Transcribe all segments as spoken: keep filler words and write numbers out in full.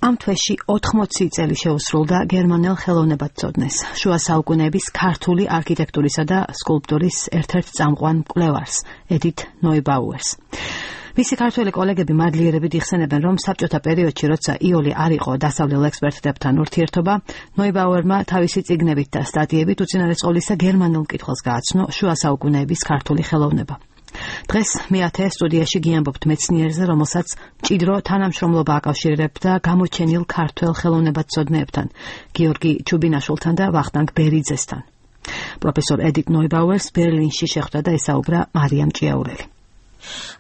ამ თვეში ოთხმოცი წელი შეუსრულდა გერმანელ ხელოვნებათმცოდნეს, შუა საუკუნეების ქართული არქიტექტურისა და სკულპტურის ერთ-ერთ წამყვან მკვლევარს, ედით ნოიბაუერს. მისი ქართველი კოლეგები მადლიერებით იხსენებენ, რომ საბჭოთა პერიოდში, როცა იოლი არ იყო დასავლელ ექსპერტებთან ურთიერთობა, ნოიბაუერმა თავისი წიგნებით და სტატიებით უწინარესყოლისა გერმანულ მკითხველს გააცნო შუა საუკუნეების ქართული ხელოვნება. დღეს მეათე სტუდიაში გიამბობთ მეცნიერზე, რომელსაც მჭიდრო თანამშრომლობა აკავშირებდა გამოჩენილ ქართველ ხელოვნებათმცოდნეებთან, გიორგი ჩუბინაშვილთან და ვახტანგ ბერიძესთან. პროფესორ ედით ნოიბაუერს ბერლინში შეხვდა და ესაუბრა მარიამ ჭიაურელი.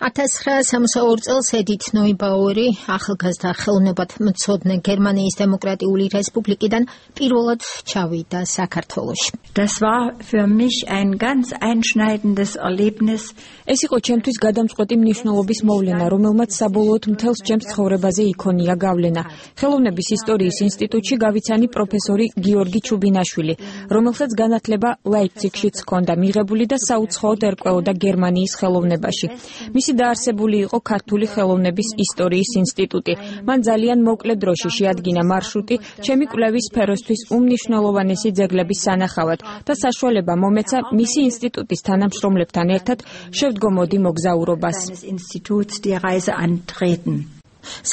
ათას ცხრაასი სამოცდაორი წელს ედით ნოიბაუერი ახალგაზრდა ხელოვნებათმცოდნე გერმანიის დემოკრატიული რესპუბლიკიდან პირველად ჩავიდა საქართველოში. Das war für mich ein ganz einschneidendes Erlebnis. ეს იყო ჩემთვის გადამწყვეტი მნიშვნელობის მოვლენა, რომელმაც საბოლოოდ მთელს ჩემს ცხოვრებაზე იქონია გავლენა. ხელოვნების ისტორიის ინსტიტუტში გავიცანი პროფესორი გიორგი ჩუბინაშვილი, რომელსაც განათლება ლაიფციგშიც ჰქონდა მიღებული და საუცხოოდ ერკვეოდა გერმანიის ხელოვნებაში. მისი დაარსებული იყო ქართული ხელოვნების ისტორიის ინსტიტუტი. მან ძალიან მოკლე დროში შეადგინა მარშრუტი ჩემი კვლევის სფეროსთვის უმნიშვნელოვანესი ძეგლების სანახავად და საშუალება მომეცა მისი ინსტიტუტის თანამშრომლებთან ერთად შევდგომოდი მოგზაურობას.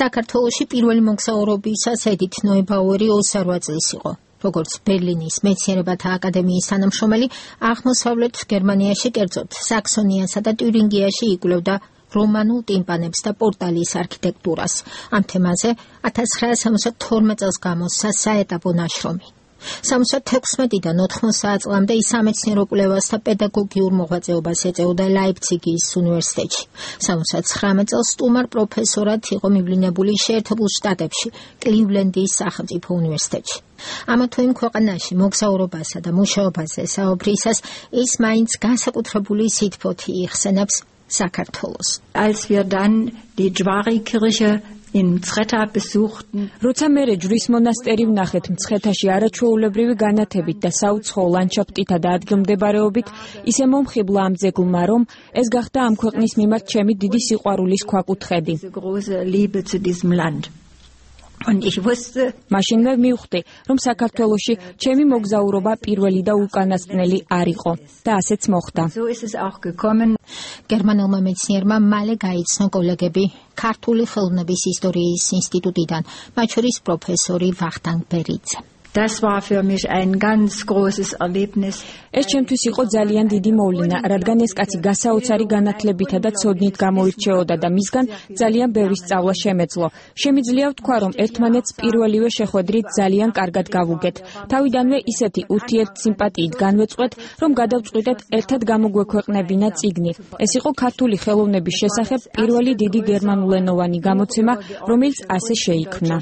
საქართველოში პირველი მოგზაურობისას ედით ნოიბაუერი ოცდარვა წლის იყო. როგორც ბერლინის მეცნიერებათა აკადემიის თანამშრომელი, აღმოსავლეთ გერმანიაში, კერძოდ საქსონიასა და ტიურინგიაში იკვლევდა რომანულ ტიმპანებს და პორტალის არქიტექტურას. ამ თემაზე ათას ცხრაასი სამოცდათორმეტ წელს გამოსცა საეტაპო ნაშრომი. სამოცდათექვსმეტიდან ოთხმოცდაათ წლამდე ის სამეცნიერო კვლევას და პედაგოგიურ მოღვაწეობას ეწეოდა ლაიფციგის უნივერსიტეტში. სამოცდათხრამეტ წელს სტუმარ პროფესორად იყო მივლინებული შეერთებულ შტატებში, კლივლენდის სახელმწიფო უნივერსიტეტში. ამა თუ იმ ქვეყანაში მოგზაურობასა და მუშაობაზე საუბრისას ის მაინც განსაკუთრებული სითბოთი იხსენებს საქართველოს. Als wir dann die Jwari-Kirche in Mtskheta besuchten, როცა მერე ჯვრის მონასტერი ვნახეთ მცხეთაში არაჩვეულებრივი განათებით და საუცხოო ლანდშაფტითა და ადგილმდებარეობით, ისე მომხიბლა ამ ძეგლმა, რომ ეს გახდა ამ ქვეყნის მიმართ ჩემი დიდი სიყვარულის ქვაკუთხედი. მაშინვე მივხვდი, რომ საქართველოში ჩემი მოგზაურობა პირველი და უკანასკნელი არ იყო და ასეც მოხდა. გერმანელმა მეცნიერმა მალე გაიცნო კოლეგები ქართული ხელოვნების ისტორიის ინსტიტუტიდან, მათ შორის პროფესორი ვახტანგ ბერიძე. Das war für mich ein ganz großes Erlebnis. ეს ჩემთვის იყო ძალიან დიდი მოვლენა, რადგან ეს კაცი გასაოცარი განათლებითა და ცოდნით გამოირჩეოდა და მისგან ძალიან ბევრი სწავლა შემეძლო. შემიძლია ვთქვა, რომ ერთმანეთს პირველივე შეხვედრით ძალიან კარგად გავუგეთ. თავიდანვე ისეთი ურთიერთსიმპათიით განვეწყვეთ, რომ გადავწყვიტეთ ერთად გამოგვექვეყნებინა წიგნი. ეს იყო ქართული ხელოვნების შესახებ პირველი დიდი გერმანულენოვანი გამოცემა, რომელიც ასე შეიქმნა.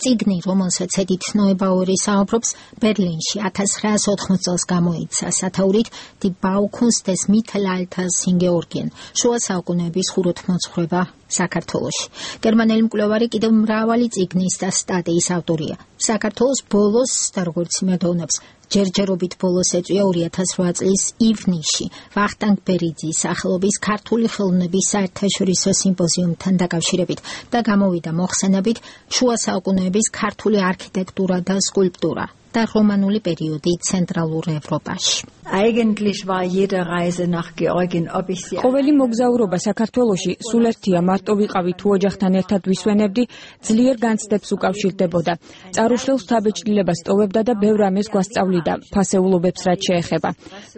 წიგნი, რომელსაც ედით ნოიბაუერი საუბრობს, ბერლინში ათას ცხრაასი ოთხმოცდაათ წელს გამოიცა სათაურით Die Baukunst des Mittelalters in Georgien, შუა საუკუნეების ხუროთმოძღვრება საქართველოში. გერმანელი მკვლევარი კიდევ მრავალი წიგნის და სტატიის ავტორია. საქართველოს ბოლოს და როგორც იმედოვნებს, ჯერჯერობით ბოლოს ეწვია ორი ათას რვა წლის ივნისში ვახტანგ ბერიძის სახელობის ქართული ხელოვნების საერთაშორისო სიმპოზიუმთან დაკავშირებით და გამოვიდა მოხსენებით შუა საუკუნეების ქართული არქიტექტურა და სკულპტურა და რომანული პერიოდი ცენტრალურ ევროპაში. Eigentlich war jede Reise nach Georgien, ob ich sie ყოველი მოგზაურობა საქართველოში სულ ერთია, მარტო ვიყავი თუ ოჯახთან ერთად ვისვენებდი, ძლიერ განცდებს უკავშირდებოდა. წარუშლელს თავბეჭდილებას ტოვებდა და ბევრ ამას გვასწავლიდა, ფასეულობებს რაც შეეხება.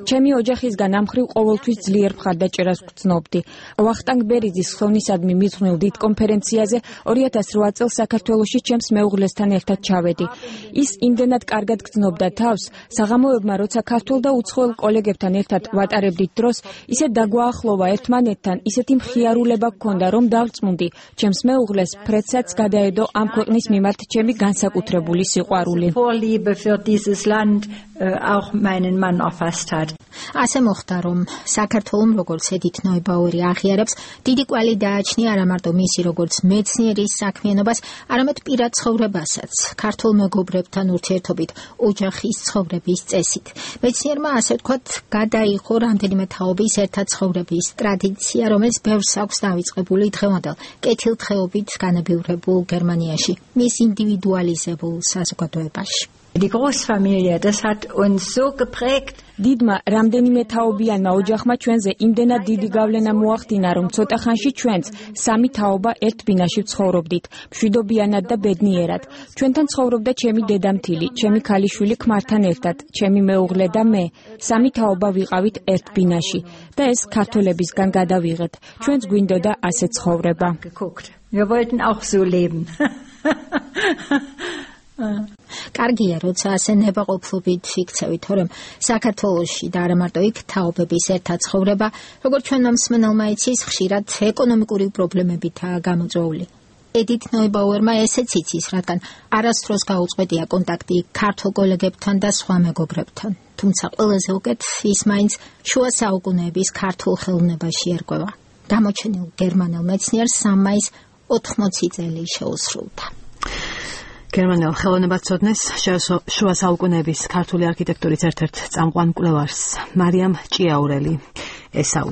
ჩემი ოჯახისგან ამ მხრივ ყოველთვის ძლიერ მხარდაჭერას ვგრძნობდი. ვახტანგ ბერიძის ხელნისადმი მიძღვნილ დიდ კონფერენციაზე ორი ათას რვა წელს საქართველოში ჩემს მეუღლესთან ერთად ჩავედი. ის იმდენად კარგად გრძნობდა თავს, საღამოებმა როცა ქართულ და უცხოელ კოლეგებთან ერთად ვატარებდით დროს, ისე დაგვაახლოვა ერთმანეთთან, ისეთი მხიარულება გქონდა, რომ დავწმუნდი, ჩემს მეუღლეს ფრედსაც გადაედო ამ ქვეყნის მიმართ ჩემი განსაკუთრებული სიყვარული. Vorliebe für dieses Land auch meinen Mann erfasst hat. ასე მოხდა, რომ საქართველოს როგორც ედით ნოიბაუერი აღიარებს, დიდი კვალი დააჩნია არა მარტო მისი როგორც მეცნიერის საქმიანობას, არამედ პირად ცხოვრებასაც, ქართულ მეგობრებთან ურთიერთობით, ოჯახის ცხოვრების წესით. მეცნიერმა ასე ვთქვათ, გადაიღო რამდენიმე თაობის ერთად ცხოვრების ტრადიცია, რომელიც ბევრს აქვს დავიწყებული დღევანდელ კეთილდღეობით განებივრებულ გერმანიაში, მის ინდივიდუალიზებულ საზოგადოებაში. Die Großfamilie, das hat uns so geprägt. დიდმა რამდენიმე თაობიანმა ოჯახმა ჩვენზე იმდენად დიდი გავლენა მოახდინა, რომ ცოტა ხანში ჩვენც სამი თაობა ერთ ბინაში ვცხოვრობდით, მშვიდობიანად და ბედნიერად. ჩვენთან ცხოვრობდა ჩემი დედამთილი, ჩემი ქალიშვილი ქმართან ერთად, ჩემი მეუღლე და მე. სამი თაობა ვიყავით ერთ ბინაში და ეს ქართველებისგან გადავიღეთ. ჩვენც გვინდოდა ასე ცხოვრება. Wir wollten auch so leben. კარგია, როცა ასე ნებაყოფლობით იქცევით, თორემ საქართველოში და არა მარტო იქ თაობების ერთად ცხოვრება, როგორც ჩვენმა მსმენელმა იცის, ხშირად ეკონომიკური პრობლემებითაა გამოწვეული. ედით ნოიბაუერმა ესეც იცის, რადგან არასდროს გაუწყვეტია კონტაქტი ქართულ კოლეგებთან და სხვა მეგობრებთან. თუმცა ყველაზე უკეთ ის მაინც შუა საუკუნეების ქართულ ხელოვნებაში ერკვევა. გამოჩენილ გერმანელ მეცნიერს სამ მაისს ოთხმოცი წელი შეუსრულდა. გერმანელ ხელოვნებაცოდნეს შუა საუკუნეების ქართული არქიტექტურის ერთ-ერთ წამყვან მკვლევარს მარიამ ჭიაურელი ესაუბრა.